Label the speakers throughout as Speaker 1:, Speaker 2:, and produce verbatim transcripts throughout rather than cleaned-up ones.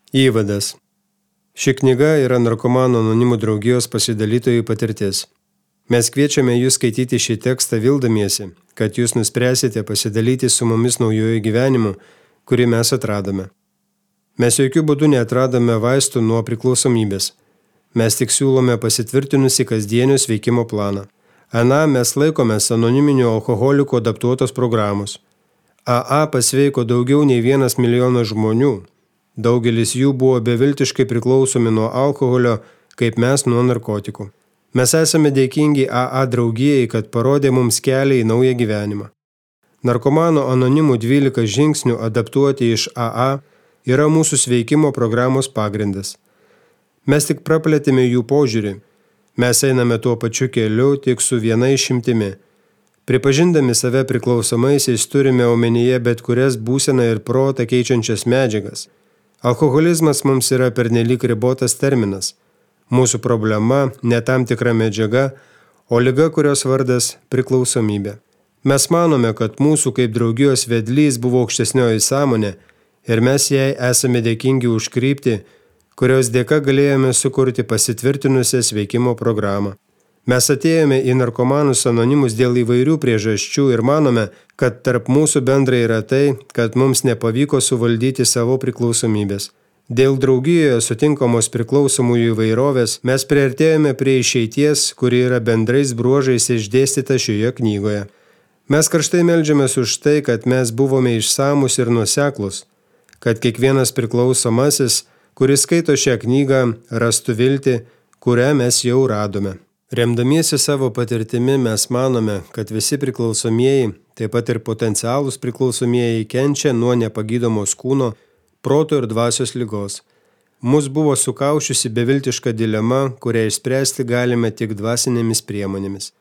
Speaker 1: Įvadas. Ši knyga yra Narkomanų anonimų draugijos pasidalytojų patirtis. Mes kviečiame jūs skaityti šį tekstą vildamiesi, kad jūs nuspręsite pasidalyti su mumis naujojo gyvenimu, kurį mes atradome. Mes jokių būdų neatradome vaistų nuo priklausomybės. Mes tik siūlome pasitvirtinusi kasdienio sveikimo planą. Ana mes laikomės anoniminių alkoholikų adaptuotos programos. A A pasveiko daugiau nei vienas milijonas žmonių. Daugelis jų buvo beviltiškai priklausomi nuo alkoholio, kaip mes nuo narkotikų. Mes esame dėkingi A A draugijai, kad parodė mums kelią į naują gyvenimą. Narkomanų anonimų dvylika žingsnių adaptuoti iš A A yra mūsų sveikimo programos pagrindas. Mes tik praplėtėme jų požiūrį. Mes einame tuo pačiu keliu, tik su viena išimtimi. Pripažindami save priklausomaisiais turime omenyje bet kurias būseną ir protą keičiančias medžiagas. Alkoholizmas mums yra pernelyg ribotas terminas. Mūsų problema ne tam tikra medžiaga, o liga, kurios vardas priklausomybė. Mes manome, kad mūsų kaip draugijos vedlys buvo aukštesnioji sąmonė ir mes jai esame dėkingi už kryptį, kurios dėka galėjome sukurti pasitvirtinusią sveikimo programą. Mes atėjome į narkomanus anonimus dėl įvairių priežasčių ir manome, kad tarp mūsų bendrai yra tai, kad mums nepavyko suvaldyti savo priklausomybės. Dėl draugijoje sutinkamos priklausomųjų įvairovės mes priartėjome prie išeities, kuri yra bendrais bruožais išdėstyta šioje knygoje. Mes karštai meldžiamės už tai, kad mes buvome išsamus ir nuoseklus, kad kiekvienas priklausomasis, kuris skaito šią knygą, rastų viltį, kurią mes jau radome. Remdamiesi savo patirtimi mes manome, kad visi priklausomieji, taip pat ir potencialūs priklausomieji, kenčia nuo nepagydomos kūno, proto ir dvasios ligos. Mus buvo sukaušiusi beviltiška dilema, kurią išspręsti galime tik dvasinėmis priemonėmis.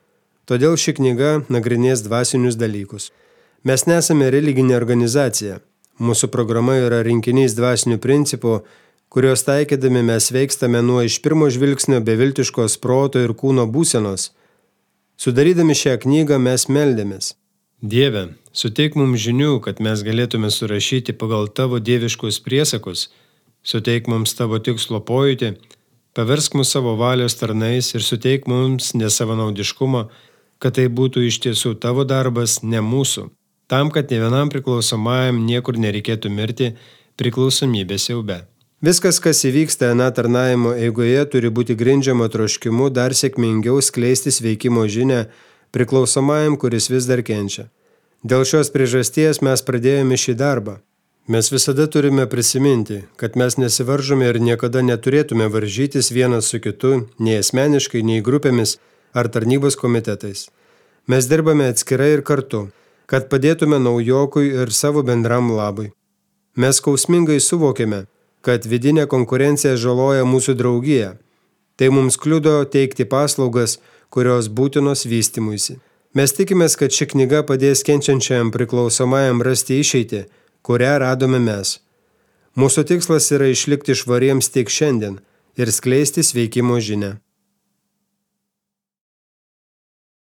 Speaker 1: Todėl ši knyga nagrinės dvasinius dalykus. Mes nesame religinė organizacija. Mūsų programa yra rinkinys dvasinių principų, kurios taikydami mes veikstame nuo iš pirmo žvilgsnio beviltiškos proto ir kūno būsenos. Sudarydami šią knygą mes meldėmės. Dieve, suteik mums žinių, kad mes galėtume surašyti pagal tavo dieviškus priesakus, suteik mums tavo tikslo pojūtį, paversk mus savo valios tarnais ir suteik mums nesavanaudiškumo, kad tai būtų iš tiesų tavo darbas, ne mūsų, tam, kad ne vienam priklausomajam niekur nereikėtų mirti priklausomybės siaube. Viskas, kas įvyksta ana tarnavimo eigoje, turi būti grindžiama troškimu dar sėkmingiau skleisti sveikimo žinią priklausomajam, kuris vis dar kenčia. Dėl šios priežasties mes pradėjome šį darbą. Mes visada turime prisiminti, kad mes nesivaržome ir niekada neturėtume varžytis vienas su kitu, nei asmeniškai, nei grupėmis ar tarnybos komitetais. Mes dirbame atskirai ir kartu, kad padėtume naujokui ir savo bendram labui. Mes skausmingai suvokėme, kad vidinė konkurencija žaloja mūsų draugiją. Tai mums kliudo teikti paslaugas, kurios būtinos vystymuisi. Mes tikimės, kad ši knyga padės kenčiančiam priklausomajam rasti išeitį, kurią radome mes. Mūsų tikslas yra išlikti švariems tik šiandien ir skleisti sveikimo žinią.